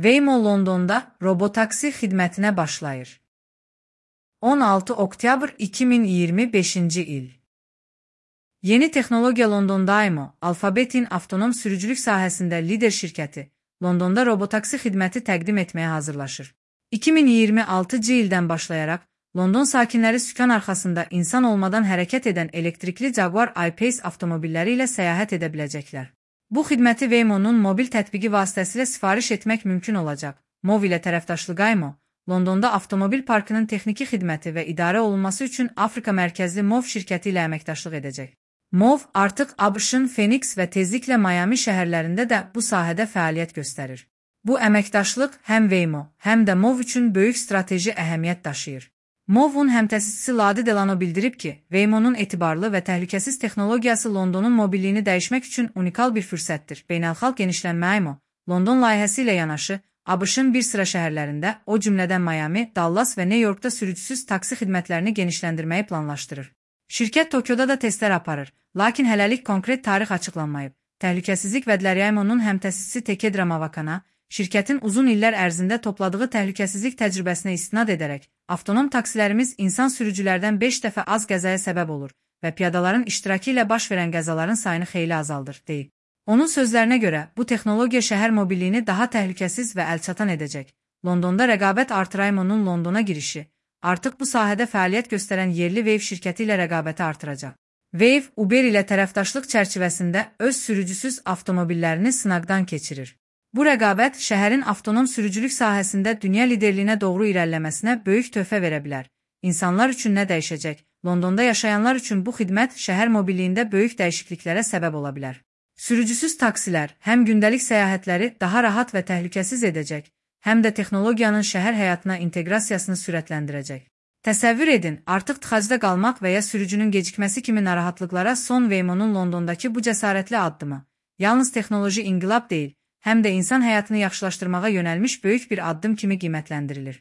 Waymo Londonda robotaksi xidmətinə başlayır. 16 oktyabr 2025-ci il. Yeni texnologiya Londonda Waymo, Alphabet'in avtonom sürücülük sahəsində lider şirkəti, Londonda robotaksi xidməti təqdim etməyə hazırlaşır. 2026-cı ildən başlayaraq, London sakinləri sükan arxasında insan olmadan hərəkət edən elektrikli Jaguar I-Pace avtomobilləri ilə səyahət edə biləcəklər. Bu xidməti Waymo'nun mobil tətbiqi vasitəsilə sifariş etmək mümkün olacaq. MOV ilə tərəfdaşlığı Waymo, Londonda avtomobil parkının texniki xidməti və idarə olunması üçün Afrika mərkəzli MOV şirkəti ilə əməkdaşlıq edəcək. MOV artıq ABŞ-ın Phoenix və tezliklə Miami şəhərlərində də bu sahədə fəaliyyət göstərir. Bu əməkdaşlıq həm Waymo, həm də MOV üçün böyük strateji əhəmiyyət daşıyır. MOV-un həmtəsisçisi Ladi Delano bildirib ki, Waymo'nun etibarlı və təhlükəsiz texnologiyası Londonun mobilliyini dəyişmək üçün unikal bir fürsətdir. Beynəlxalq genişlənmə Waymo, London layihəsi ilə yanaşı, ABŞ-ın bir sıra şəhərlərində, o cümlədən Miami, Dallas və New Yorkda sürücüsüz taksi xidmətlərini genişləndirməyi planlaşdırır. Şirkət Tokyoda da testlər aparır, lakin hələlik konkret tarix açıqlanmayıb. Təhlükəsizlik vədləri Waymo'nun həmtəsisçisi Takedra Mavakana, şirkətin uzun illər ərzində topladığı təhlükəsizlik təcrübəsinə istinad edərək, avtonom taksilərimiz insan sürücülərdən 5 dəfə az qəzaya səbəb olur və piyadaların iştirakı ilə baş verən qəzaların sayını xeyli azaldır, deyib. Onun sözlərinə görə, bu texnologiya şəhər mobilliyini daha təhlükəsiz və əlçatan edəcək. Londonda rəqabət artır. Waymo'nun Londona girişi, artıq bu sahədə fəaliyyət göstərən yerli Wave şirkəti ilə rəqabəti artıracaq. Wave, Uber ilə tərəfdaşlıq çərçivəsində öz sürücüsüz avtomobillərini sınaqdan keçirir. Bu rəqabət şəhərin avtonom sürücülük sahəsində dünya liderliyinə doğru irəliləməsinə böyük töhfə verə bilər. İnsanlar üçün nə dəyişəcək? Londonda yaşayanlar üçün bu xidmət şəhər mobilliyində böyük dəyişikliklərə səbəb ola bilər. Sürücüsüz taksilər həm gündəlik səyahətləri daha rahat və təhlükəsiz edəcək, həm də texnologiyanın şəhər həyatına inteqrasiyasını sürətləndirəcək. Təsəvvür edin, artıq tıxacda qalmaq və ya sürücünün gecikməsi kimi narahatlıqlara son Waymo'nun Londondakı bu cəsarətli addımı, yalnız texnoloji inqilab deyil, həm də insan həyatını yaxşılaşdırmağa yönəlmiş böyük bir addım kimi qiymətləndirilir.